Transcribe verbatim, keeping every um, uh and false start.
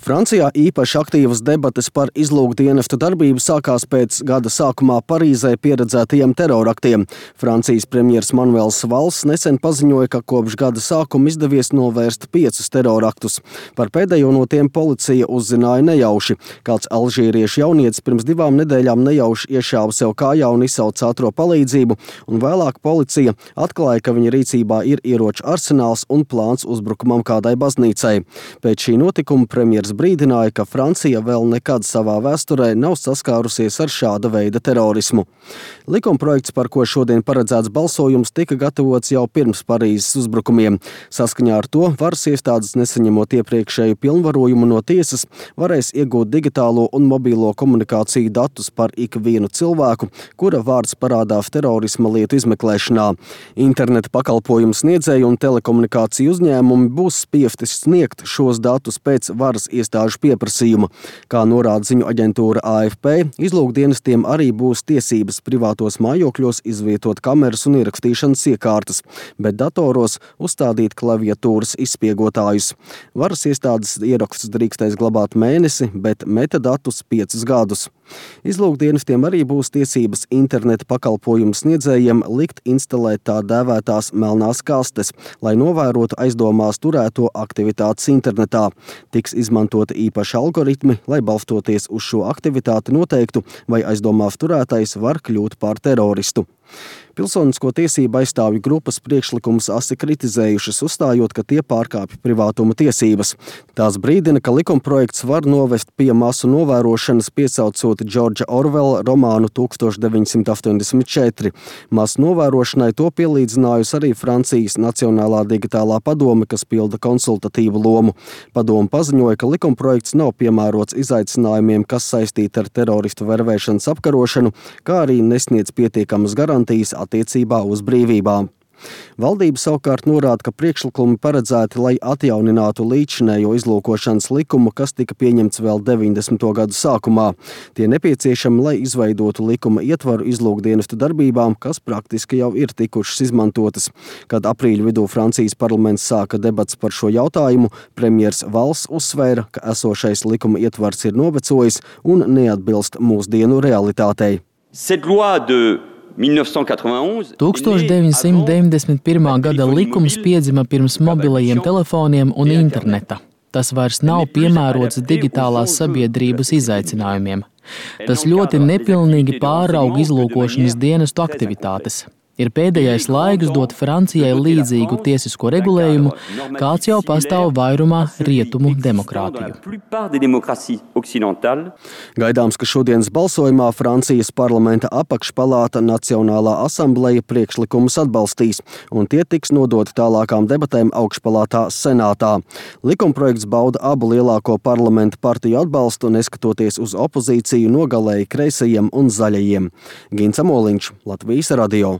Francijā īpaši aktīvas debates par izlūkdienestu darbību sākās pēc gada sākumā Parīzē pieredzētajiem teroraktiem. Francijas premjers Manuels Valls nesen paziņoja, ka kopš gada sākuma izdevies novērst piecus teroraktus. Par pēdējo no tiem policija uzzināja nejauši. Kāds alžīriešu jaunietis pirms divām nedēļām nejauši iešāva sev kājā un izsauca ātro palīdzību, un vēlāk policija atklāja, ka viņa rīcībā ir ieroču arsenāls un plāns uzbrukumam kādai baznīcai. Pēc šī notikuma premjers brīdināja, ka Francija vēl nekad savā vēsturē nav saskārusies ar šāda veida terorismu. Likumprojekts, par ko šodien paredzēts balsojums, tika gatavots jau pirms Parīzes uzbrukumiem. Saskaņā ar to varas iestādes, nesaņemot iepriekšēju pilnvarojumu no tiesas, varēs iegūt digitālo un mobilo komunikāciju datus par ikvienu cilvēku, kura vārds parādās terorisma lietu izmeklēšanā. Interneta pakalpojumu sniedzēji un telekomunikāciju uzņēmumi būs spiesti sniegt šos datus pēc varas iestāžu pieprasījuma. Kā norāda ziņu aģentūra A F P, izlūkdienestiem arī būs tiesības privātos mājokļos izvietot kameras un ierakstīšanas iekārtas, bet datoros uzstādīt klaviatūras izspiegotājus. Varas iestādes ierakstus drīkstēs glabāt mēnesi, bet metadatus piecus gadus. Izlūkdienestiem arī būs tiesības interneta pakalpojumu sniedzējiem likt instalēt tā dēvētās melnās kastes, lai novērotu aizdomās turēto aktivitātes internetā. Tiks izmantoti īpaši algoritmi, lai balstoties uz šo aktivitāti noteiktu, vai aizdomās turētais var kļūt par teroristu. Pilsonisko tiesību aizstāvju grupas priekšlikumus asi kritizējušas, uzstājot, ka tie pārkāpj privātuma tiesības. Tās brīdina, ka likumprojekts var novest pie masu novērošanas, piesaucot Džordža Orvela romānu tūkstoš deviņsimt astoņdesmit četri. Masu novērošanai to pielīdzinājusi arī Francijas Nacionālā digitālā padome, kas pilda konsultatīvu lomu. Padome paziņoja, ka likumprojekts nav piemērots izaicinājumiem, kas saistīti ar teroristu vervēšanas apkarošanu, kā arī nesniedz pietiekamas garantijas attiecībā uz brīvībām. Valdība savukārt norāda, ka priekšlikumi paredzēti, lai atjauninātu līdzinējo izlūkošanas likumu, kas tika pieņemts vēl deviņdesmito gadu sākumā. Tie nepieciešami, lai izveidotu likuma ietvaru izlūkdienestu darbībām, kas praktiski jau ir tikušas izmantotas. Kad aprīļa vidū Francijas parlaments sāka debats par šo jautājumu, premjers Valls uzsvēra, ka esošais likuma ietvars ir novecojis un neatbilst mūsdienu realitātei. tūkstoš deviņsimt deviņdesmit pirmā gada likums piedzima pirms mobilajiem telefoniem un interneta. Tas vairs nav piemērots digitālās sabiedrības izaicinājumiem. Tas ļoti nepilnīgi pārauga izlūkošanas dienestu aktivitātes. Ir pēdējais laiks dot Francijai līdzīgu tiesisko regulējumu, kāds jau pastāv vairumā rietumu demokrātiju. Gaidāms, ka šodienas balsojumā Francijas parlamenta apakšpalāta Nacionālā asambleja priekšlikumus atbalstīs, un tie tiks nodoti tālākām debatēm augšpalātā Senātā. Likumprojekts bauda abu lielāko parlamenta partiju atbalstu, neskatoties uz opozīciju no galēji kreisajiem un zaļajiem. Gins Amoliņš, Latvijas radio.